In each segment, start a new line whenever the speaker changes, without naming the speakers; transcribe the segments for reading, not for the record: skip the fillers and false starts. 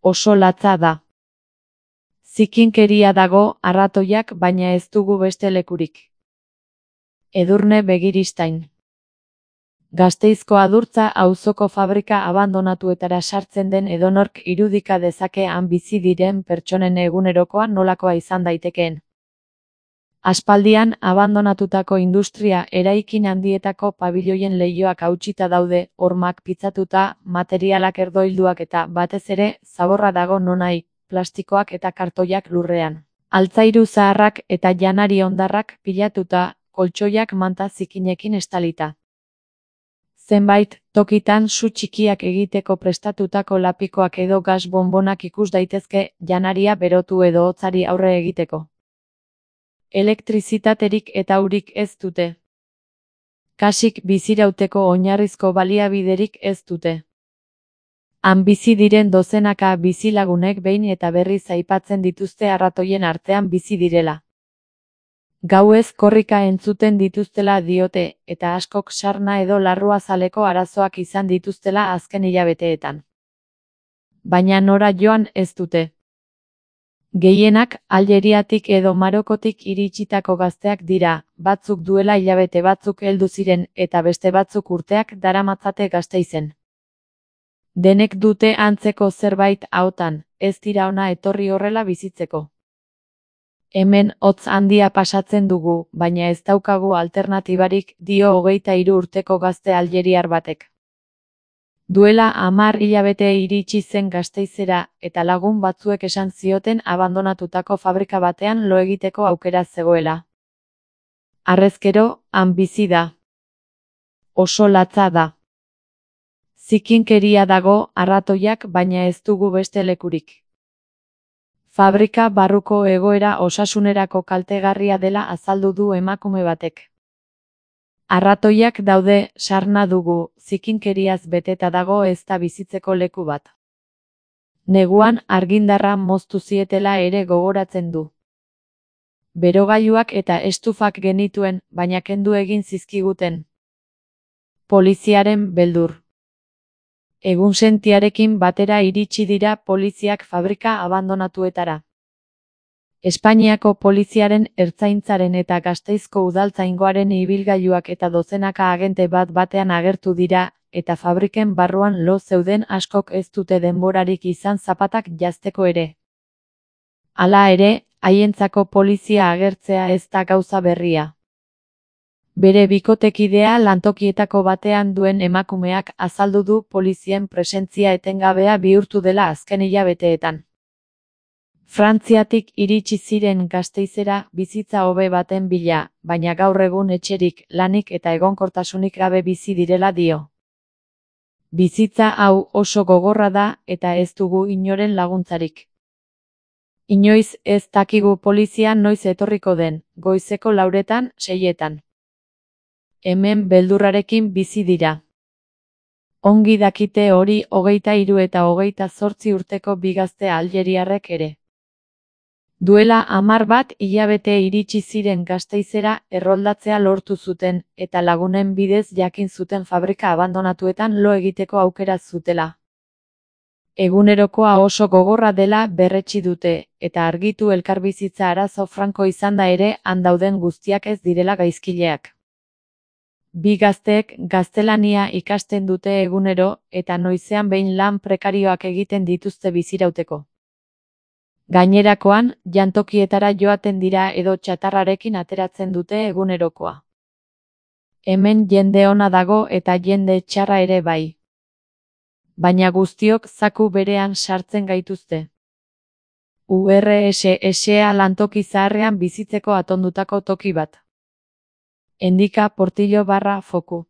Oso latza da. Zikinkeria dago arratoiak baina ez dugu beste lekurik. Edurne Begiristain. Gasteizko Adurtza auzoko fabrika abandonatuetara sartzen den edonork irudika dezake han bizi diren pertsonen egunerokoa nolakoa izan daitekeen. Aspaldian abandonatutako industria eraikin handietako pabiloien leihoak hautsita daude, hormak pitzatuta, materialak erdoilduak eta batez ere zaborra dago nonahi, plastikoak eta kartoiak lurrean. Altzairu zaharrak eta janari hondarrak pilatuta, koltxoiak manta zikinekin estalita. Zenbait tokitan su txikiak egiteko prestatutako lapikoak edo gas bonbonak ikus daitezke janaria berotu edo hotzari aurre egiteko. Elektrizitaterik eta urik ez dute. Kasik bizirauteko oinarrizko baliabiderik ez dute. Han bizi diren dozenaka bizilagunek behin eta berriz aipatzen dituzte arratoien artean bizi direla. Gauez korrika entzuten dituztela diote, eta askok sarna edo larruazaleko arazoak izan dituztela azken hilabeteetan. Baina nora joan ez dute. Gehienak Aljeriatik edo Marokotik iritsitako gazteak dira, batzuk duela hilabete batzuk heldu ziren eta beste batzuk urteak daramatzate Gasteizen. Denek dute antzeko zerbait ahotan, ez dira ona etorri horrela bizitzeko. Hemen hotz handia pasatzen dugu, baina ez daukagu alternatibarik, dio 23 urteko gazte aljeriar batek. Duela 10 hilabete iritsi zen Gasteizera, eta lagun batzuek esan zioten abandonatutako fabrika batean lo egiteko aukera zegoela. Harrezkero, han bizi da. Oso latza da. Zikinkeria dago arratoiak baina ez dugu beste lekurik. Fabrika barruko egoera osasunerako kaltegarria dela azaldu du emakume batek. Arratoiak daude, sarna dugu, zikinkeriaz beteta dago ez da bizitzeko leku bat. Neguan argindarra moztu zietela ere gogoratzen du. Berogailuak eta estufak genituen, baina kendu egin zizkiguten. Poliziaren beldur. Egunsentiarekin batera iritsi dira poliziak fabrika abandonatuetara. Espainiako poliziaren ertzaintzaren eta Gasteizko udaltzaingoaren ibilgailuak eta dozenaka agente bat batean agertu dira, eta fabriken barruan lo zeuden askok ez dute denborarik izan zapatak janzteko ere. Hala ere, haientzako polizia agertzea ez da gauza berria. Bere bikotekidea lantokietako batean duen emakumeak azaldu du polizien presentzia etengabea bihurtu dela azken hilabeteetan. Frantziatik iritsi ziren Gasteizera bizitza hobe baten bila, baina gaur egun etxerik, lanik eta egonkortasunik gabe bizi direla dio. Bizitza hau oso gogorra da eta ez dugu inoren laguntzarik. Inoiz ez dakigu polizia noiz etorriko den, goizeko 4etan, 6etan. Hemen beldurrarekin bizi dira. Ongi dakite hori 23 eta 28 urteko bi gazte aljeriarrek ere. Duela 10 hilabete iritsi ziren Gasteizera erroldatzea lortu zuten, eta lagunen bidez jakin zuten fabrika abandonatuetan lo egiteko aukera zutela. Egunerokoa oso gogorra dela berretsi dute, eta argitu elkarbizitza arazo franko izanda ere han dauden guztiak ez direla gaizkileak. Bi gazteek gaztelania ikasten dute egunero, eta noizean behin lan prekarioak egiten dituzte bizirauteko. Gainerakoan, jantokietara joaten dira edo txatarrarekin ateratzen dute egunerokoa. Hemen jende ona dago eta jende txarra ere bai. Baina guztiok zaku berean sartzen gaituzte. URSSa lantoki zaharrean bizitzeko atondutako toki bat. Endika Portillo /Foku.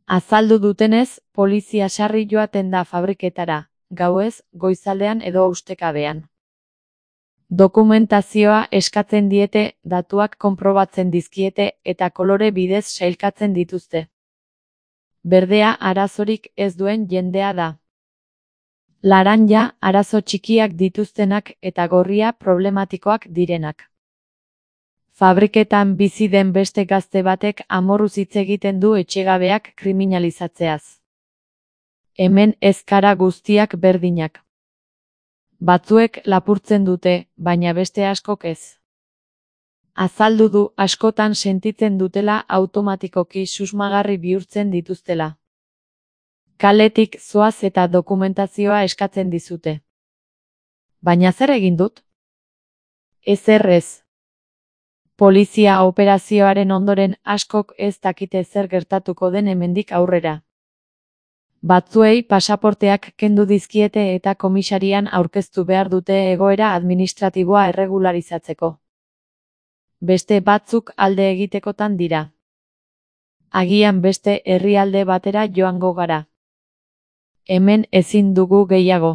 Azaldu dutenez, polizia sarri joaten da fabriketara, gauez, goizaldean edo ustekabean. Dokumentazioa eskatzen diete, datuak konprobatzen dizkiete eta kolore bidez sailkatzen dituzte. Berdea arazorik ez duen jendea da. Laranja arazo txikiak dituztenak eta gorria problematikoak direnak. Fabriketan bizi den beste gazte batek amorruz hitz egiten du etxegabeak kriminalizatzeaz. Hemen ez gara guztiak berdinak. Batzuek lapurtzen dute, baina beste askok ez. Azaldu du askotan sentitzen dutela automatikoki susmagarri bihurtzen dituztela. Kaletik zoaz eta dokumentazioa eskatzen dizute. Baina zer egin dut? Ezer ez. Polizia operazioaren ondoren askok ez dakite zer gertatuko den hemendik aurrera. Batzuei pasaporteak kendu dizkiete eta komisarian aurkeztu behar dute egoera administratiboa erregularizatzeko. Beste batzuk alde egitekotan dira. Agian beste herrialde batera joango gara. Hemen ezin dugu gehiago.